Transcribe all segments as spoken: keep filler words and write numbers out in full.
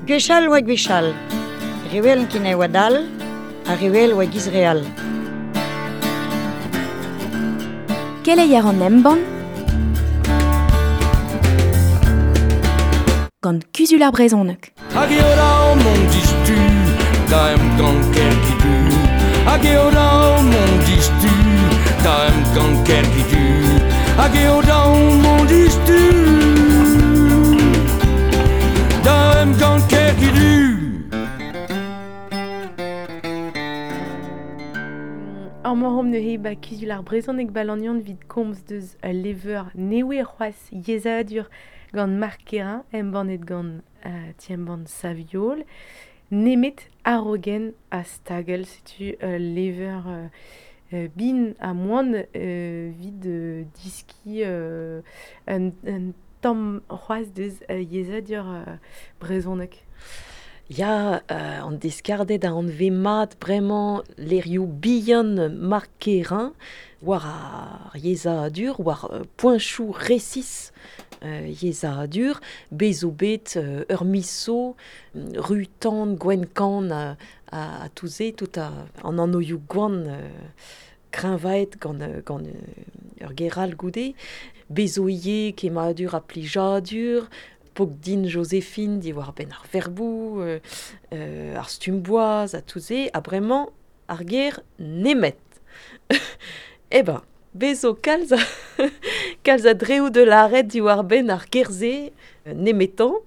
Gwechall oa gwechall, rewel kin e oa dal, ha rewel oa giz real. Keleier an embann gant Kuzul ar Brezhoneg. Hag eo dav mont distu da emgann Kergidu. Hag eo dav mont distu da emgann Kergidu. Hag eo dav mont distu da emgann Kergidu. Ar morom neuze ba Kuzul ar Brezhoneg balanion vid komz deus ul leveur newe c'hoazh yezhadur gant Marc Quérin, embannet gant uh, ti-embann Saviol, nemet arogen a stagel, setu ul leveur uh, uh, bin a moan uh, vid uh, diski uh, un, un tamm c'hoazh deus uh, yezhadur uh, brezhoneg. Ya, euh, an deskardet a anve mat bremañ lerioù bihan Marc Quérin, war ar yezhadur, war euh, poenchoù resis euh, yezhadur, bezo bet euh, ur miso, ru tan, gwen kan a, a, a touze, tout a, an anoioù gwan euh, kreñvaet gant, gant euh, ur geral goude, bezo ivez kemmadur ha plijadur, pok din Joséphine di war ben ar verbou, euh, euh, ar stumboaz a touze, ha bremañ ar ger nemet. Eh ben, bezo kalz a, kalz a dreoù de l'arret di war ben ar gerze nemetan.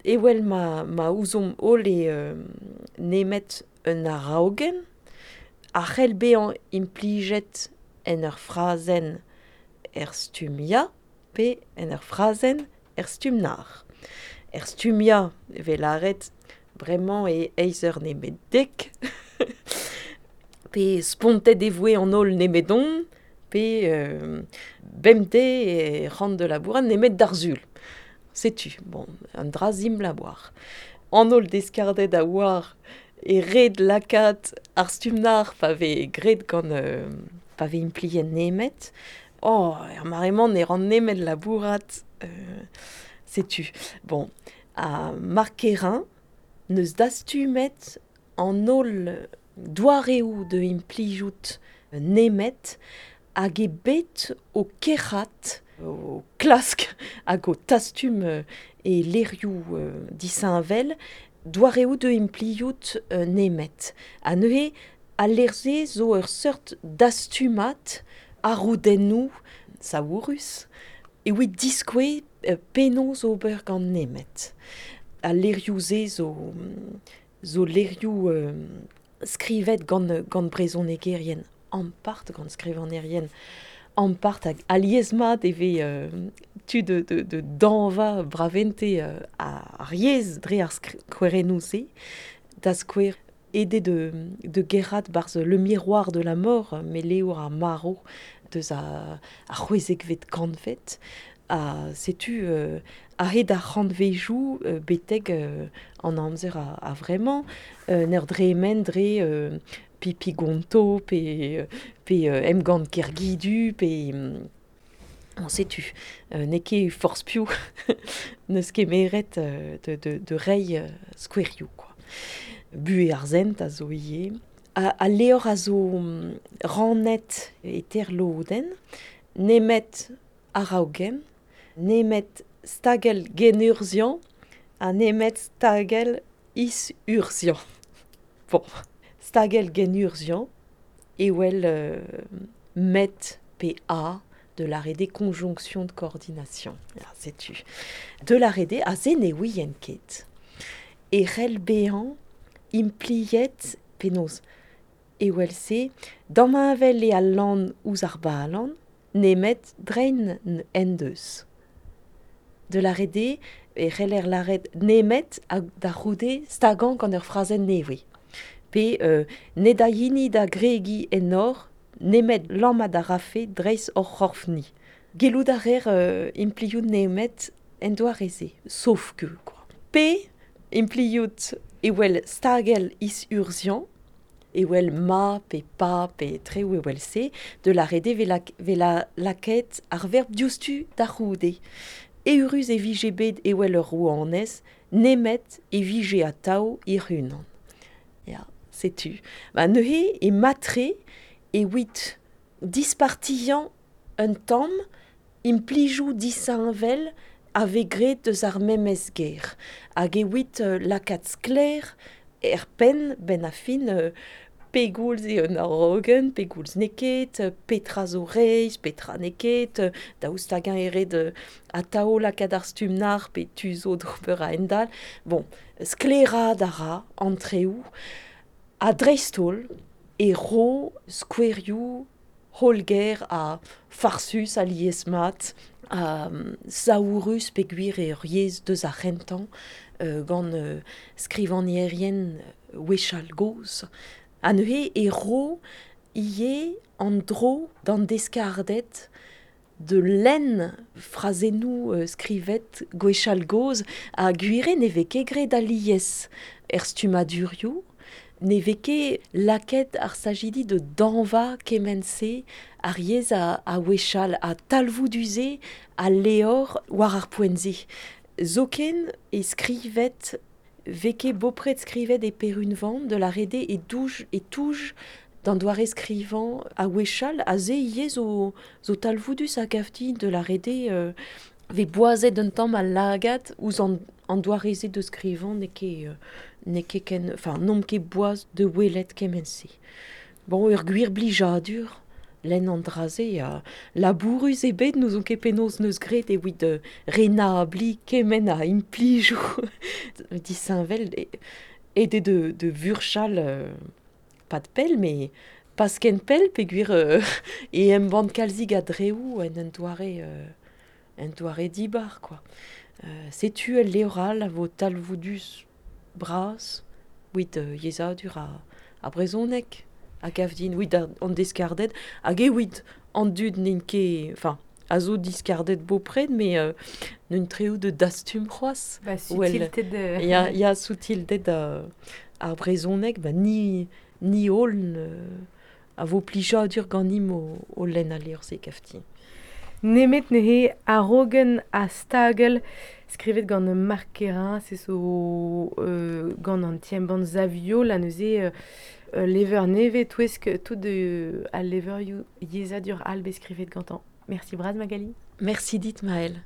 Ewel ma, ma ouzomp holl e euh, nemet un araogenn, a c'hell bezañ implijet en ur frazenn er stumm ya, pe en ur frazenn er stumm nar. Er stumm ya e lâret bremañ e eizh eur nemet dek, pe spontet e voe an holl nemedon, pe euh, bemdez e ran de labourat nemet d'ar sul. Setu, bon, un dra zim labour. An holl deskardet a oar e red lakaat ar stumm nar pa vez graet gant euh, pa vez impliet nemet. Oh, er mare-mañ ne ran nemet labourat, euh, setu. Bon, a Marc Quérin neus dastumet an holl doareoù de implijout nemet hag e bet o kerc'hat, o klask hag o tastum e lerioù euh, disheñvel doareoù de implijout euh, nemet. Ha neuze, al ler-se zo ur seurt dastumat arroudennoù saourus e oa diskoue euh, penaos ober gant nemet. Al lerioù-se zo, zo lerioù euh, skrivet gant, gant brezhonegerien ampart, gant skrivanerien ampart hag alies-mat e vez euh, tu de, de, de danva bravente euh, ar yezh dre ar skouerennoù-se, da skouer aidé de, de gerrat barz le miroir de la mort, me levr ar maro deus a, a c'hwezekvet kantved, a setu euh, a hed ar c'hantvejou euh, beteg euh, an amzer a, a vraiment euh, n'er dre men dre euh, pipi gonto, pe, pe euh, emgann Kergidu, pe on setu euh, n'eo ket forzh piv n'eus ket meret euh, de, de, de reiñ euh, skouerioù, quoi. Bu ar zent a zo ivez. A, a levr a zo rannet e terlodenn, nemet araogenn, nemet stagell genurziañ ha nemet stagell is-urzhiañ. Bon, stagell genurziañ ewel euh, met pe a de l'arrêt des conjonctions de coordination. Ah, setu. De l'arrêt a se ne ouien ket. E c'hell bezañ impliet penaos ewel se damheñvel e al lann ouzh ar balan nemet drein en deus. De l'arrêt e c'heller lâret nemet hag da c'houde stagañ gant ur frazenn nevez. Pe euh, ne da hini da gregiñ en hor nemet lammat a rafe dreist hor c'horfni. Gellout a reer euh, impliout nemet en doare-se, sauf que, quoi. Pe impliout ewel stagell is-urzhiañ, ewel ma, pe pa, pe treoù ewel se, de la rede ve la, ve la lakaet ar verb diouzhtu da c'houde. Eurus e vije bet ewel ur rouanez, nemet e vije atao hec'h-unan. Ya, setu. Ba neuze e matre e wit dispartiañ un tamm implijou disheñvel a vez graet deus ar memes ger. Hag e wit euh, lakaat sklaer er penn ben a fin euh, pegoulz eo un arogen, pegoulz n'eo ket, petra zo reizh, petra n'eo ket, daoust hag-eñ eo ret atao lakaat ar stumm nar pe tu zo d'ober a-hend-all. Bon, sklaeraat a ra an treoù, ha dreist-holl e ro skouerioù hollger ha farsus a liesmat, a um, saourus peogwir eo ur yezh deus ar c'hentañ euh, gant euh, skrivagnerien wechall gozh. Ha neuze e ro ivez an dro d'an deskarded de lenn frazennoù euh, skrivet gwechall gozh ha gwir eo ne vez ket graet alies er stummadurioù, ne vez ket lakaet ar stajidi de dañva kement-se ar yezh a, a wechall ha talvoudus-se a levr war ar poent-se. Zoken e skrivet vez ket bopred skrivet e peurunvan de la rede e douj e touj d'an doare skrivañ a wechall a se ivez zo, zo talvoudus a gav din de la rede euh, vez boazet un tamm al lagad ouzh an, an doare-se de skrivañ n'eo ket euh, n'eo ket ken, enfin n'omp ket boaz de welet kement-se. Bon, ur gwir blijadur, lenn an dra-se ha labourus eo bet n'ouzon ket penaos neus graet evit euh, renabliñ kement a implijoù disheñvel aet eo de, de vurchal euh, pas de pell, mais pas ken pell peogwir euh, e embann kalzik a dreoù en un doare euh, un doare dibar, quoi. Euh, setu ul levr all a vo talvoudus bras, wit euh, yezhadur a, a brezhoneg, a gav din, wit an deskarded, hag eo wit an dud n'int ket, enfin, a zo diskarded bopred, mais euh, n'un treoù de dastum c'hoazh. Ba, sutilted... Euh... Ya, ya sutilted euh, ar brezhoneg, ba ni, ni holl euh, a vo plijadur ganimp o, o lenn al levr-se gav din. Nemet neuze arogen ha stagell skrivet gant Marc Kerrain, se zo euh, gant an ti-embann Saviol, ha neuze euh, levr nevez touesk tout de al levrioù yezhadur all bet skrivet gantañ. Merci bras Magali. Merci dit Maëlle.